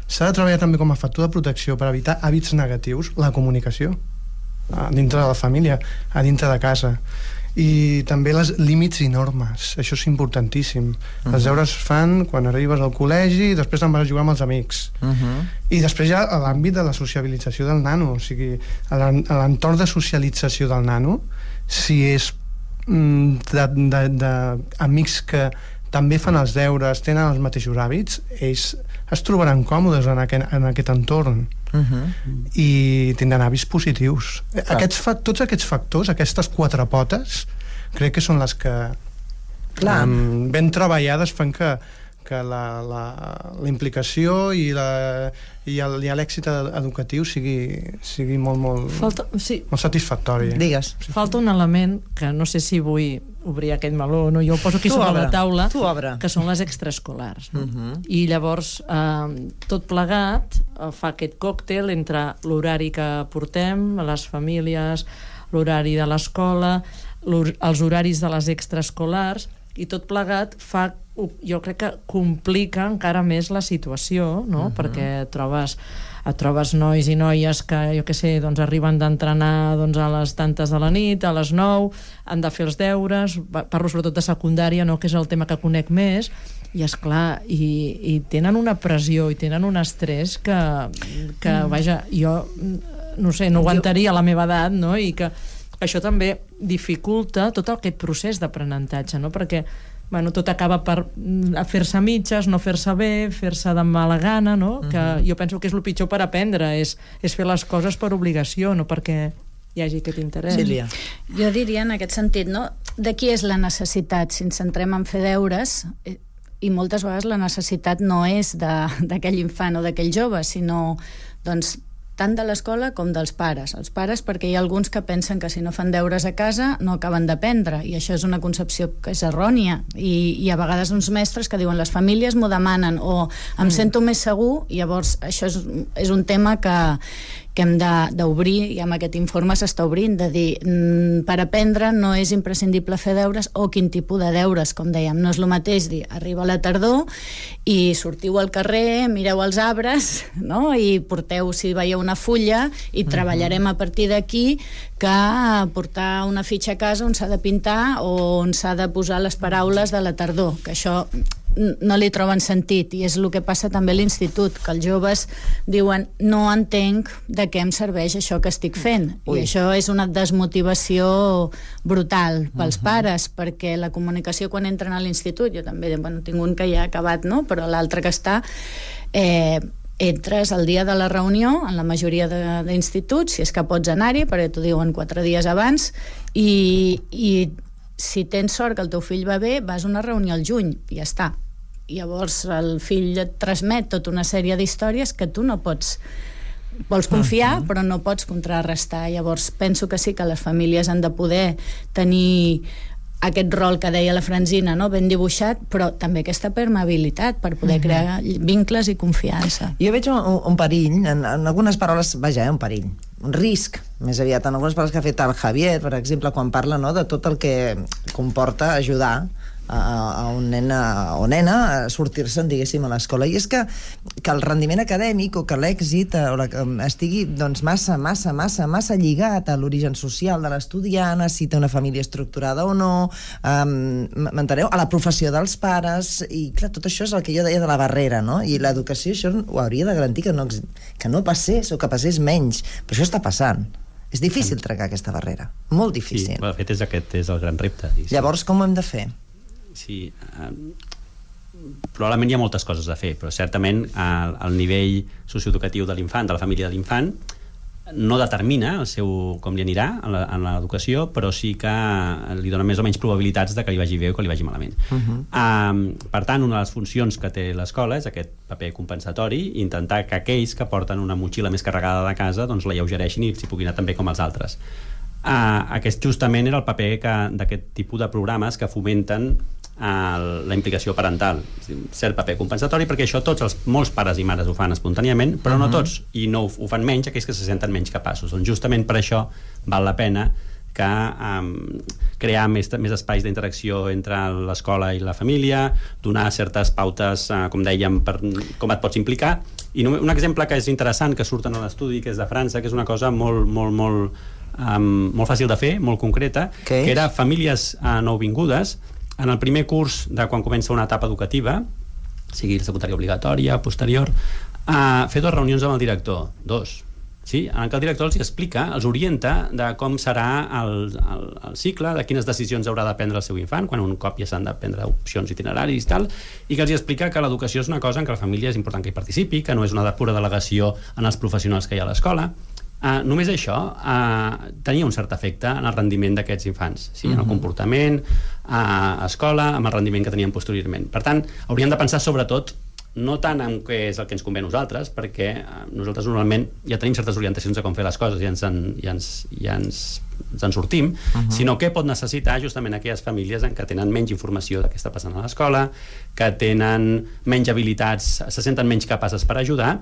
s'ha de treballar també com a factor de protecció per evitar hàbits negatius, la comunicació a dintre de la família, a dintre de casa, i també els límits i normes. Això és importantíssim. Els deures fan quan arribes al col·legi i després te'n vas a jugar amb els amics. I després hi ha l'àmbit de la sociabilització del nano, o sigui, l'entorn de socialització del nano, si és d'amics que també fan els deures, tenen els mateixos hàbits, ells es trobaran còmodes en aquest entorn i tindran hàbits positius. Tots aquests factors, aquestes 4 potes, crec que són les que ben treballades fan que la implicació i l'èxit educatiu sigui molt satisfactori. Digues. Falta un element que no sé si vull obrir aquest meló o no, jo ho poso aquí sobre la taula, que són les extraescolars. I llavors tot plegat fa aquest còctel entre l'horari que portem, les famílies, l'horari de l'escola, els horaris de les extraescolars, i tot plegat fa, jo crec que complica encara més la situació, no? Perquè et trobes nois i noies que, jo què sé, doncs arriben d'entrenar a les tantes de la nit, a les 9, han de fer els deures, parlo sobretot de secundària, no? Que és el tema que conec més, i esclar, i tenen una pressió i tenen un estrès que vaja, jo no sé, no aguantaria a la meva edat, no? I que això també dificulta tot aquest procés d'aprenentatge, no? Perquè tot acaba per fer-se mitges, no fer-se bé, fer-se de mala gana, no? Que jo penso que és el pitjor per aprendre, és fer les coses per obligació, no perquè hi hagi aquest interès. Sílvia. Jo diria en aquest sentit, no? De qui és la necessitat? Si ens centrem en fer deures, i moltes vegades la necessitat no és d'aquell infant o d'aquell jove, sinó doncs tant de l'escola com dels pares. Els pares, perquè hi ha alguns que pensen que si no fan deures a casa no acaben d'aprendre, i això és una concepció que és errònia, i a vegades uns mestres que diuen les famílies m'ho demanen, o em sento més segur, i llavors això és un tema que hem d'obrir, i amb aquest informe s'està obrint, de dir, per aprendre no és imprescindible fer deures, o quin tipus de deures, com dèiem, no és el mateix dir, arriba la tardor i sortiu al carrer, mireu els arbres, no? I porteu, si veieu una fulla, i treballarem a partir d'aquí, que portar una fitxa a casa on s'ha de pintar o on s'ha de posar les paraules de la tardor, que això no li troben sentit, i és el que passa també a l'institut, que els joves diuen no entenc de què em serveix això que estic fent. I això és una desmotivació brutal pels pares, perquè la comunicació quan entren a l'institut, jo també tinc un que ja ha acabat, no? Però l'altre que està entres el dia de la reunió en la majoria d'instituts, si és que pots anar-hi, perquè t'ho diuen 4 dies abans, i si tens sort que el teu fill va bé, vas a una reunió al juny i ja està. Llavors el fill et transmet tota una sèrie d'històries que tu no vols confiar, però no pots contrarrestar. Llavors penso que sí que les famílies han de poder tenir aquest rol que deia la Francina, no? Ben dibuixat, però també aquesta permeabilitat per poder crear vincles i confiança. Jo veig un perill, en algunes paraules, un perill, un risc, més aviat, en algunes paraules que ha fet el Javier, per exemple, quan parla de tot el que comporta ajudar a un nen o nena a sortir-se'n, diguéssim, a l'escola. I és que el rendiment acadèmic o que l'èxit estigui massa lligat a l'origen social de l'estudiant, si té una família estructurada o no, m'enteneu? A la professió dels pares, i clar, tot això és el que jo deia de la barrera, no? I l'educació això ho hauria de garantir que no passés o que passés menys, però això està passant. És difícil trencar aquesta barrera, molt difícil. Sí, de fet aquest és el gran repte. Llavors, com ho hem de fer? Sí, probablement hi ha moltes coses a fer, però certament el nivell socioeducatiu de l'infant, de la família de l'infant, no determina com li anirà en l'educació, però sí que li dona més o menys probabilitats de que li vagi bé o que li vagi malament. Per tant, una de les funcions que té l'escola és aquest paper compensatori, intentar que aquells que porten una motxilla més carregada de casa doncs l'alleugereixin i s'hi puguin anar també com els altres. Aquest justament era el paper d'aquest tipus de programes que fomenten la implicació parental, cert paper compensatori, perquè això molts pares i mares ho fan espontàniament, però no tots, i no ho fan menys aquells que se senten menys capaços. Doncs justament per això val la pena que crear més espais d'interacció entre l'escola i la família, donar certes pautes, com dèiem, per com et pots implicar. I un exemple que és interessant, que surt en l'estudi, que és de França, que és una cosa molt fàcil de fer, molt concreta, que era famílies nouvingudes. En el primer curs de quan comença una etapa educativa, sigui secundària obligatòria, posterior, fer 2 reunions amb el director, 2, Sí, en què el director els explica, els orienta de com serà el cicle, de quines decisions haurà de prendre el seu infant, quan un cop ja s'han de prendre opcions itineraris i tal, i que els explica que l'educació és una cosa en què la família és important que hi participi, que no és una pura delegació en els professionals que hi ha a l'escola. Només això tenia un cert efecte en el rendiment d'aquests infants, sí? En el comportament, a escola, amb el rendiment que tenien posteriorment. Per tant, hauríem de pensar sobretot no tant en què és el que ens convé a nosaltres, perquè nosaltres normalment ja tenim certes orientacions de com fer les coses i ens en sortim, sinó què pot necessitar justament aquelles famílies en què tenen menys informació de què està passant a l'escola, que tenen menys habilitats, se senten menys capaces per ajudar,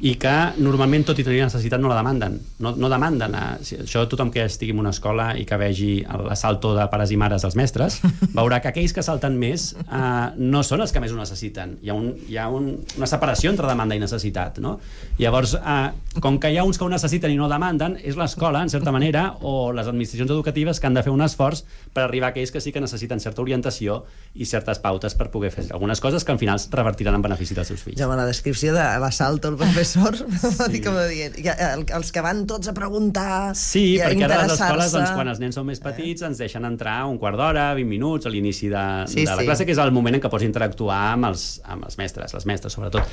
i que normalment, tot i tenir necessitat, no la demanden. No demanden. Això tothom que estigui en una escola i que vegi l'assalto de pares i mares dels mestres, veurà que aquells que salten més no són els que més ho necessiten. Hi ha una separació entre demanda i necessitat, no? Llavors, com que hi ha uns que ho necessiten i no demanden, és l'escola, en certa manera, o les administracions educatives que han de fer un esforç per arribar a aquells que sí que necessiten certa orientació i certes pautes per poder fer algunes coses que al final es revertiran en benefici dels seus fills. Ja, la descripció de l'assalto al professor, els que van tots a preguntar, sí, perquè ara a les escoles, quan els nens són més petits, ens deixen entrar un quart d'hora, 20 minuts, a l'inici de la classe, que és el moment en què pots interactuar amb els mestres, les mestres sobretot.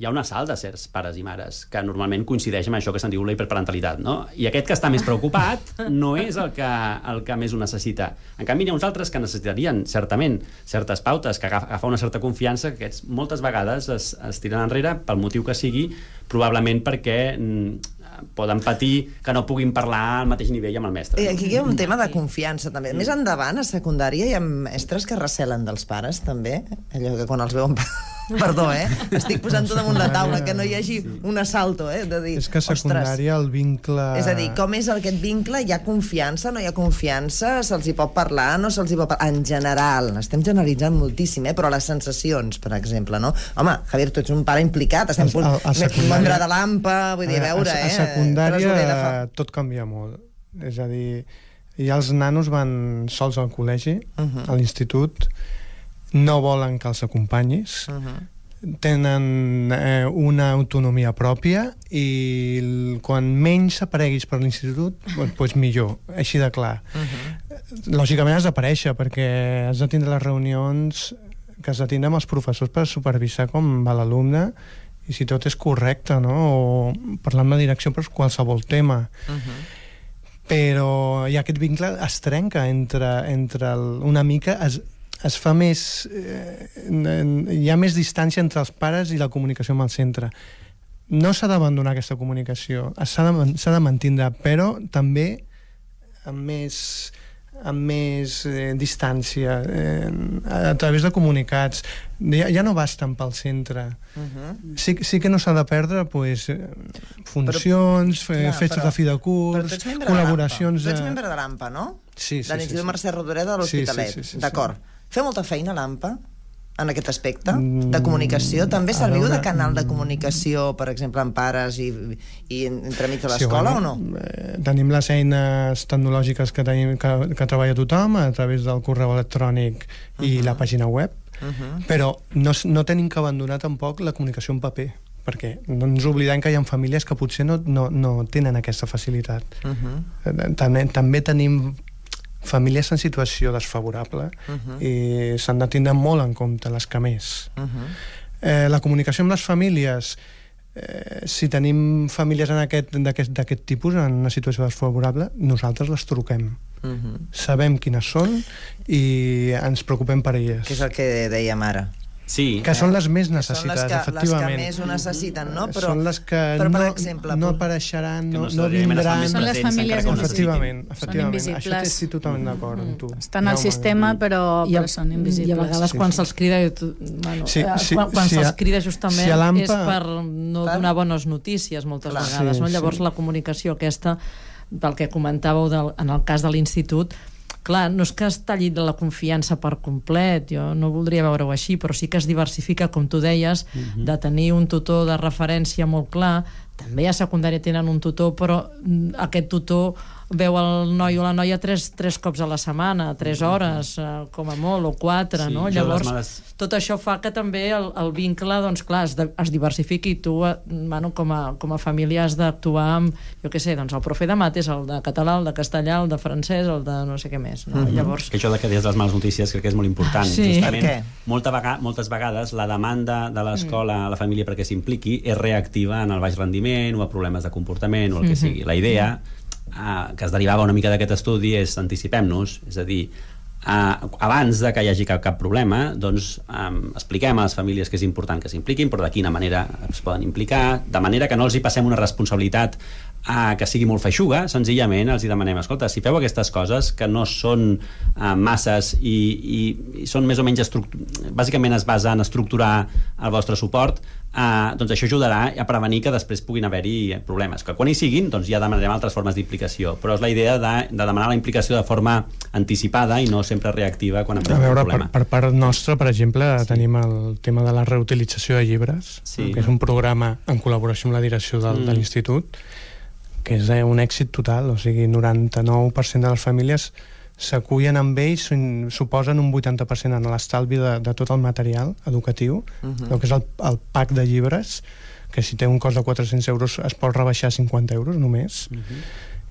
Hi ha un assalt de certs pares i mares que normalment coincideix amb això que se'n diu la hiperparentalitat, no? I aquest que està més preocupat no és el que més ho necessita. En canvi, hi ha uns altres que necessitarien, certament, certes pautes, que agafar una certa confiança, que aquests moltes vegades es tiren enrere pel motiu que sigui, probablement perquè poden patir que no puguin parlar al mateix nivell amb el mestre. Aquí hi ha un tema de confiança, també. Més endavant, a secundària, hi ha mestres que recelen dels pares, també. Allò que quan els veuen... Perdó, estic posant tot damunt la taula, que no hi hagi un assalto, de dir... És que a secundària el vincle... És a dir, com és aquest vincle? Hi ha confiança, no hi ha confiança? Se'ls hi pot parlar, no se'ls hi pot parlar? En general, estem generalitzant moltíssim, però les sensacions, per exemple, no? Home, Javier, tu ets un pare implicat, estem membre de l'AMPA, vull dir, a veure, A secundària tot canvia molt. És a dir, ja els nanos van sols al col·legi, a l'institut, no volen que els acompanyis, tenen una autonomia pròpia i quan menys apareguis per l'institut, doncs millor, així de clar. Lògicament has d'aparèixer perquè has de tindre les reunions que has de tindre amb els professors per supervisar com va l'alumne i si tot és correcte, no? O parlar amb la direcció per qualsevol tema. Però hi ha aquest vincle es trenca entre una mica... es fa més... hi ha més distància entre els pares i la comunicació amb el centre. No s'ha d'abandonar aquesta comunicació, s'ha de mantindre, però també amb més distància, a través de comunicats. Ja no basten pel centre. Sí que no s'ha de perdre funcions, festes de fi de curs, col·laboracions... Tu ets membre de l'AMPA, no? Sí. De l'Institut Mercè Rodoreda de l'Hospitalet. D'acord. Feu molta feina a l'AMPA en aquest aspecte de comunicació? També serviu de canal de comunicació, per exemple, amb pares i entremig de l'escola o no? Tenim les eines tecnològiques que treballa tothom a través del correu electrònic i la pàgina web, però no tenim que abandonar tampoc la comunicació en paper, perquè no ens oblidem que hi ha famílies que potser no tenen aquesta facilitat. També tenim famílies en situació desfavorable i s'han de tindre molt en compte les que més. La comunicació amb les famílies, si tenim famílies d'aquest tipus en una situació desfavorable, nosaltres les truquem. Sabem quines són i ens preocupem per elles. Que és el que dèiem ara. Sí. Que són les més necessitades, efectivament. Les que més ho necessiten, no? Són les que no apareixeran, no vindran. Són les famílies efectivament. Són invisibles. Això estic totalment d'acord amb tu. Estan al sistema, però són invisibles. I a vegades quan se'ls crida... Quan se'ls crida justament és per no donar bones notícies moltes vegades. Llavors la comunicació aquesta, pel que comentàveu en el cas de l'institut, clar, no és que es talli de la confiança per complet, jo no voldria veure-ho així, però sí que es diversifica, com tu deies, de tenir un tutor de referència molt clar. També a secundària tenen un tutor, però aquest tutor veu el noi o la noia tres cops a la setmana, 3 hores, com a molt, o 4, no? Llavors, tot això fa que també el vincle, doncs clar, es diversifiqui, i tu, bueno, com a família has d'actuar amb, jo què sé, doncs el profe de mates, el de català, el de castellà, el de francès, el de no sé què més, no? Llavors... Que això de que des de les males notícies crec que és molt important. Sí. Justament, moltes vegades la demanda de l'escola a la família perquè s'impliqui és reactiva en el baix rendiment o a problemes de comportament o el que sigui. La idea que es derivava una mica d'aquest estudi és anticipem-nos, és a dir, abans de que hi hagi cap problema, doncs expliquem a les famílies que és important que s'impliquin, però de quina manera es poden implicar, de manera que no els hi passem una responsabilitat que sigui molt feixuga, senzillament els hi demanem, escolta, si feu aquestes coses que no són masses i són més o menys bàsicament es basa en estructurar el vostre suport, doncs això ajudarà a prevenir que després puguin haver-hi problemes, que quan hi siguin doncs ja demanarem altres formes d'implicació, però és la idea de demanar la implicació de forma anticipada i no sempre reactiva quan apareix un problema. Per part nostra, per exemple, tenim el tema de la reutilització de llibres, que és un programa en col·laboració amb la direcció de l'institut, que és un èxit total, o sigui, 99% de les famílies s'acullen amb ells, suposen un 80% en l'estalvi de tot el material educatiu, el que és el pack de llibres, que si té un cost de 400 euros es pot rebaixar a 50 euros només,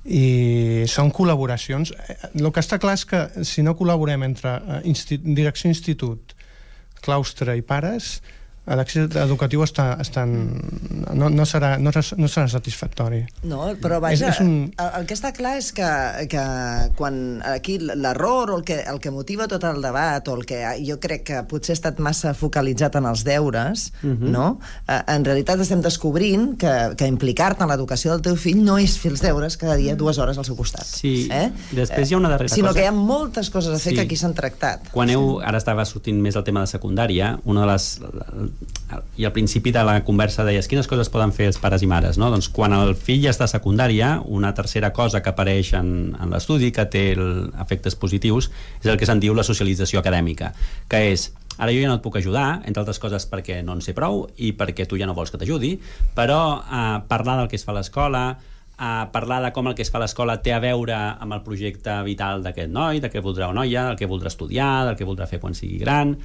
i són col·laboracions. El que està clar és que si no col·laborem entre direcció institut, claustre i pares, l'èxit educatiu no serà satisfactori. No, però vaja, el que està clar és que quan aquí l'error o el que motiva tot el debat o el que jo crec que potser ha estat massa focalitzat en els deures, no? En realitat estem descobrint que implicar-te en l'educació del teu fill no és fer els deures cada dia 2 hores al seu costat. Sí, després hi ha una darrera cosa. Sinó que hi ha moltes coses a fer que aquí s'han tractat. Quan ara estava sortint més el tema de secundària, una de les... i al principi de la conversa deies quines coses poden fer els pares i mares, no? Doncs quan el fill ja està a secundària, una tercera cosa que apareix en l'estudi que té efectes positius és el que se'n diu la socialització acadèmica, que és ara jo ja no et puc ajudar, entre altres coses perquè no en sé prou i perquè tu ja no vols que t'ajudi, però parlar del que es fa a l'escola, parlar de com el que es fa a l'escola té a veure amb el projecte vital d'aquest noi, de què voldrà o noia, del que voldrà estudiar, del que voldrà fer quan sigui gran,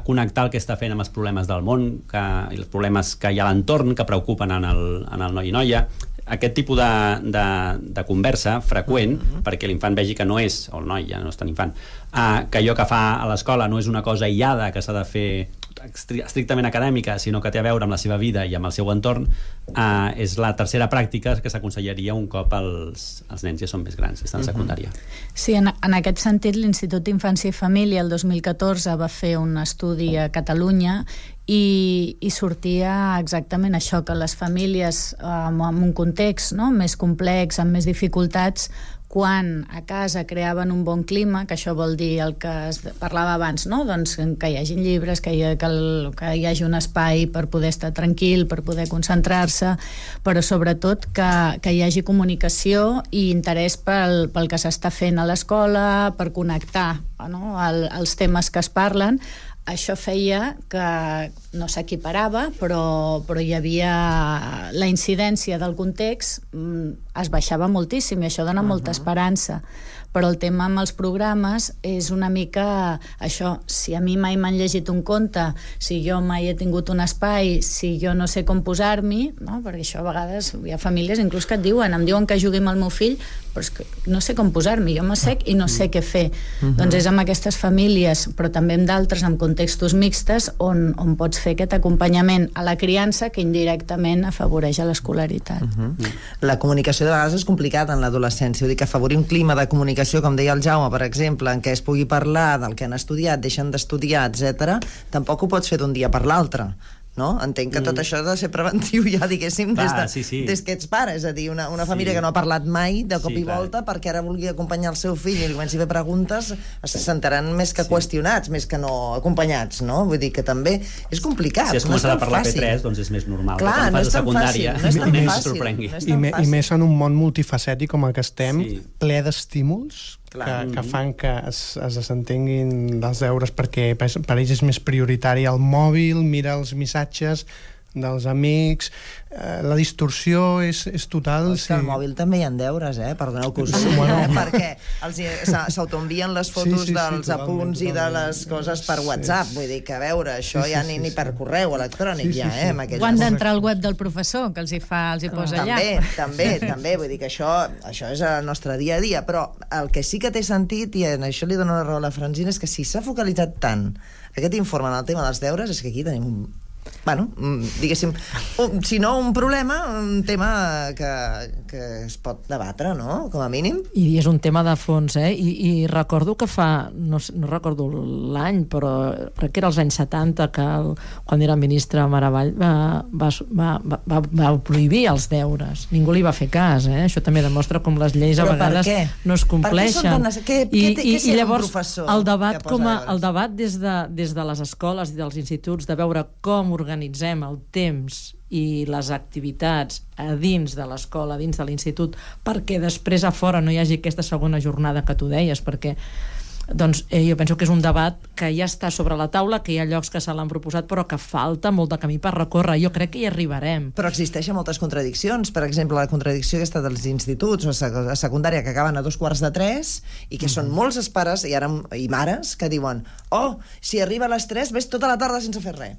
connectar el que està fent amb els problemes del món i els problemes que hi ha a l'entorn que preocupen en el noi i noia. Aquest tipus de conversa freqüent, perquè l'infant vegi que no és, o el noi ja no és tan infant, que allò que fa a l'escola no és una cosa aïllada que s'ha de fer estrictament acadèmica, sinó que té a veure amb la seva vida i amb el seu entorn, és la tercera pràctica que s'aconsellaria un cop els nens ja són més grans, estan a secundària. Sí, en aquest sentit l'Institut d'Infància i Família el 2014 va fer un estudi a Catalunya i sortia exactament això, que les famílies en un context més complex, amb més dificultats, quan a casa creaven un bon clima, que això vol dir el que es parlava abans, no? Doncs que hi hagin llibres, que hi hagi un espai per poder estar tranquil, per poder concentrar-se, però sobretot que hi hagi comunicació i interès pel que s'està fent a l'escola, per connectar els temes que es parlen. Això feia que no s'equiparava, però hi havia la incidència del context, es baixava moltíssim i això dona molta esperança. Però el tema amb els programes és una mica això, si a mi mai m'han llegit un conte, si jo mai he tingut un espai, si jo no sé com posar-m'hi, no? Perquè això a vegades hi ha famílies inclús que em diuen que jugui amb el meu fill, però és que no sé com posar-m'hi, jo m'assec i no sé què fer. Doncs és amb aquestes famílies, però també amb d'altres, amb contextos mixtes, on pots fer aquest acompanyament a la criança que indirectament afavoreix a l'escolaritat. La comunicació de vegades és complicada en l'adolescència, vull dir que afavorir un clima de comunicació, com deia el Jaume, per exemple, en què es pugui parlar del que han estudiat, deixen d'estudiar, etc., tampoc ho pots fer d'un dia per l'altre. No? Entenc que tot això ha de ser preventiu ja, diguéssim, des que ets pare, és a dir, una família que no ha parlat mai de cop i volta perquè ara vulgui acompanyar el seu fill i li comenci a fer preguntes, se sentaran més que qüestionats, més que no acompanyats, no? Vull dir que també és complicat. Si has començat a parlar P3, doncs és més normal. Clar, no és tan fàcil, no és tan fàcil. I més en un món multifacètic com el que estem, ple d'estímuls, que fan que es desentenguin dels deures perquè per ells és més prioritari el mòbil, mira els missatges, dels amics, la distorsió és total. Sí. Al mòbil també hi ha deures, perdoneu que us ho digui, perquè s'autoenvien les fotos dels apunts i de les coses per WhatsApp, vull dir que a veure, això ja ni per correu electrònic ja, o han d'entrar al web del professor, que els hi posa allà. També, vull dir que això és el nostre dia a dia, però el que sí que té sentit, i en això li dono la raó a la Francina, és que si s'ha focalitzat tant aquest informe en el tema dels deures, és que aquí tenim diguéssim, si no un problema, un tema que es pot debatre, no? Com a mínim. I és un tema de fons, I recordo que no recordo l'any, però crec que era als anys 70 que quan era ministre Maravall va prohibir els deures. Ningú li va fer cas, Això també demostra com les lleis a vegades no es compleixen. I llavors el debat des de les escoles i dels instituts de veure com organitzem el temps i les activitats a dins de l'escola, a dins de l'institut, perquè després a fora no hi hagi aquesta segona jornada que tu deies, perquè jo penso que és un debat que ja està sobre la taula, que hi ha llocs que se l'han proposat, però que falta molt de camí per recórrer. Jo crec que hi arribarem. Però existeixen moltes contradiccions. Per exemple, la contradicció aquesta dels instituts a secundària que acaben a 2:45 i que són molts els pares i mares que diuen si arriba a les 3 ves tota la tarda sense fer res.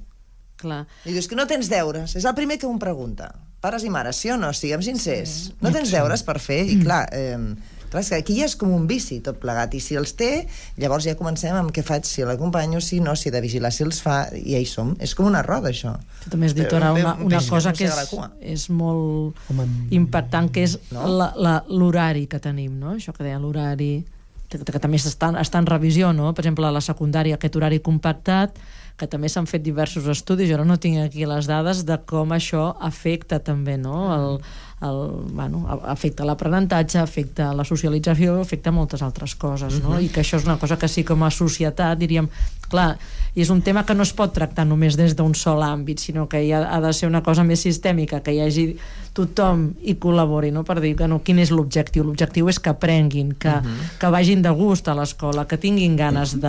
Clar. I dius que no tens deures. És el primer que un pregunta. Pares i mares, sí o no? Siguem sincers. No tens deures per fer? I clar, és que aquí ja és com un vici tot plegat, i si els té, llavors ja comencem amb què faig, si l'acompanyo, si no, si he de vigilar si els fa, i ja hi som. És com una roda, això. Tu també has dit ara una cosa que és molt impactant, que és l'horari que tenim, no? Això que deia l'horari, que també està en revisió, no? Per exemple, a la secundària, aquest horari compactat, que també s'han fet diversos estudis, jo no tinc aquí les dades de com això afecta també, no? Afecta l'aprenentatge, afecta la socialització, afecta moltes altres coses, no? I que això és una cosa que sí, com a societat, diríem, clar, i és un tema que no es pot tractar només des d'un sol àmbit, sinó que ha de ser una cosa més sistèmica, que hi hagi tothom hi col·labori, no? Per dir que quin és l'objectiu. L'objectiu és que aprenguin, que vagin de gust a l'escola, que tinguin ganes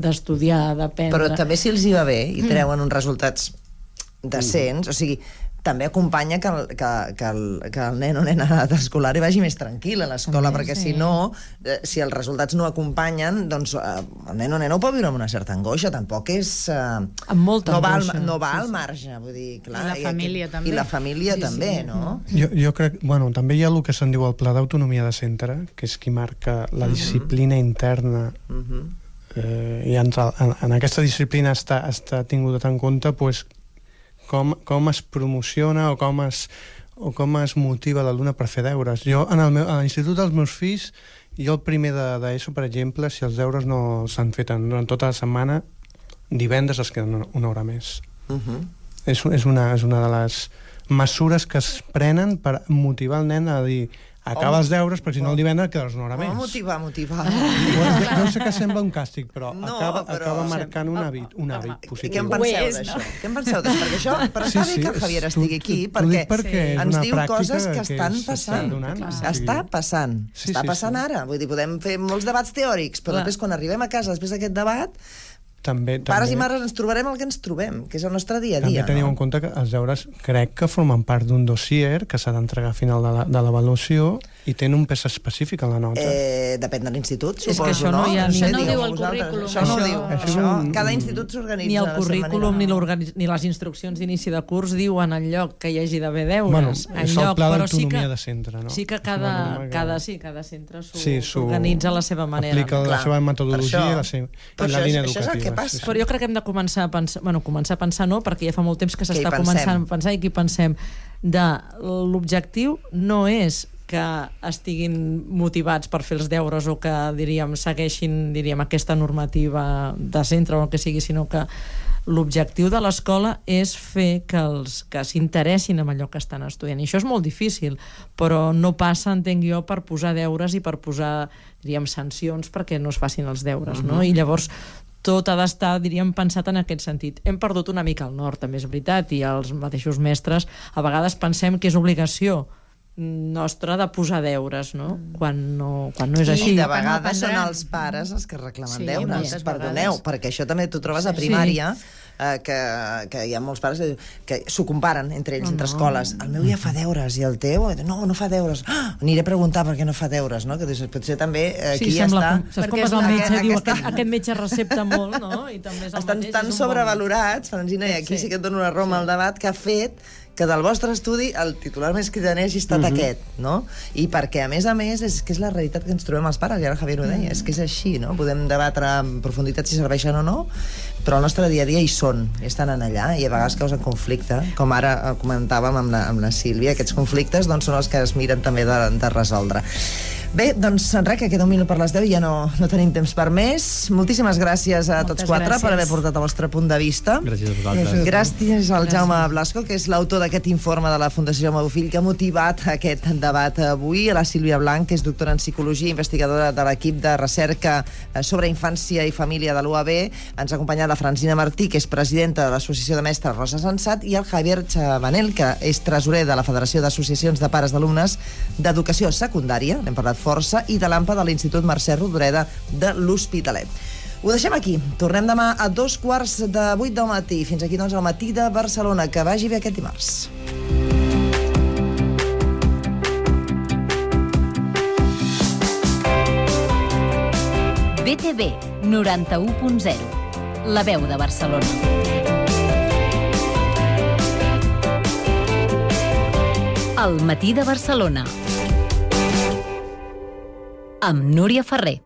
d'estudiar, d'aprendre. Però també si els hi va bé i treuen uns resultats decents, o sigui, també acompanya que el nen o nena d'escolar hi vagi més tranquil a l'escola, perquè si no, si els resultats no acompanyen, doncs el nen o nena ho pot viure amb una certa angoixa, tampoc és... Amb molta angoixa. No va al marge, vull dir, clar... I la família també. I la família també, no? Jo crec, també hi ha el que se'n diu el pla d'autonomia de centre, que és qui marca la disciplina interna, i en aquesta disciplina està tinguda en compte, doncs, com es promociona o com es motiva l'alumne per fer deures. Jo, a l'institut dels meus fills, jo el primer d'ESO, per exemple, si els deures no s'han fet durant tota la setmana, divendres es queden una hora més. És una de les mesures que es prenen per motivar el nen a dir acaba els deures, però si no el divendres quedaràs una hora més. Motivar. Jo sé que sembla un càstig, però acaba marcant un hàbit positiu. I què en penseu d'això? Què en penseu d'això? Perquè això, però està bé que el Javier estigui aquí, perquè ens diu coses que estan passant. Està passant ara. Vull dir, podem fer molts debats teòrics, però després quan arribem a casa, després d'aquest debat, pares i mares ens trobarem el que ens trobem, que és el nostre dia a dia. També teniu en compte que els deures crec que formen part d'un dossier que s'ha d'entregar a final de l'avaluació i tenen un pes específic a la nota. Depèn de l'institut, suposo, no? És que això no hi ha... Això no ho diu el currículum. Això no ho diu. Cada institut s'organitza. Ni el currículum ni les instruccions d'inici de curs diuen enlloc que hi hagi d'haver deures. És el pla d'autonomia de centre, no? Sí que cada centre s'organitza a la seva manera. Aplica la seva metodologia i la línia educativa. Però jo crec que hem de començar a pensar no, perquè ja fa molt temps que s'està començant a pensar i aquí pensem de l'objectiu no és que estiguin motivats per fer els deures o que, segueixin, aquesta normativa de centre o el que sigui, sinó que l'objectiu de l'escola és fer que s'interessin en allò que estan estudiant. I això és molt difícil, però no passa, entenc jo, per posar deures i per posar, sancions perquè no es facin els deures, no? I llavors tot ha d'estar, pensat en aquest sentit. Hem perdut una mica el nord, també és veritat, i els mateixos mestres a vegades pensem que és obligació nostra de posar deures, no? Quan no és així. I de vegades són els pares els que reclamen deures, perdoneu, perquè això també t'ho trobes a primària, que hi ha molts pares que s'ho comparen entre ells, entre escoles. El meu ja fa deures, i el teu, no fa deures. Aniré a preguntar per què no fa deures, no? Que potser també aquí ja està... Saps com és el metge? Diu, aquest metge recepta molt, no? I també és el mateix. Estan tan sobrevalorats, Francina, i aquí sí que et dono una roma al debat, que ha fet que del vostre estudi el titular més cridaner hagi estat aquest, no? I perquè, a més, és que és la realitat que ens trobem els pares, i ara Javier ho deia, és que és així, no? Podem debatre en profunditat si serveixen o no, però el nostre dia a dia hi són, estan allà, i a vegades causen conflicte, com ara comentàvem amb la Sílvia, aquests conflictes doncs, són els que es miren també de resoldre. Bé, doncs, res, que queda un minut per les 10 i ja no tenim temps per més. Moltíssimes gràcies a tots quatre per haver portat el vostre punt de vista. Gràcies a vosaltres. Gràcies al Jaume Blasco, que és l'autor d'aquest informe de la Fundació Jaume Bofill, que ha motivat aquest debat avui, a la Sílvia Blanc, que és doctora en Psicologia, investigadora de l'equip de recerca sobre infància i família de l'UAB. Ens ha acompanyat la Francina Martí, que és presidenta de l'Associació de Mestres Rosa Sensat, i el Javier Chabanel, que és tresorer de la Federació d'Associacions de Pares d'Alumnes d'Educació Secundària, n'hem parlat força, i de l'AMPA de l'Institut Mercè Rodoreda de l'Hospitalet. Ho deixem aquí. Tornem demà a 7:15 del matí. Fins aquí, doncs, al Matí de Barcelona. Que vagi bé aquest dimarts. BTV 91.0. La veu de Barcelona. El Matí de Barcelona. Amb Núria Ferrer.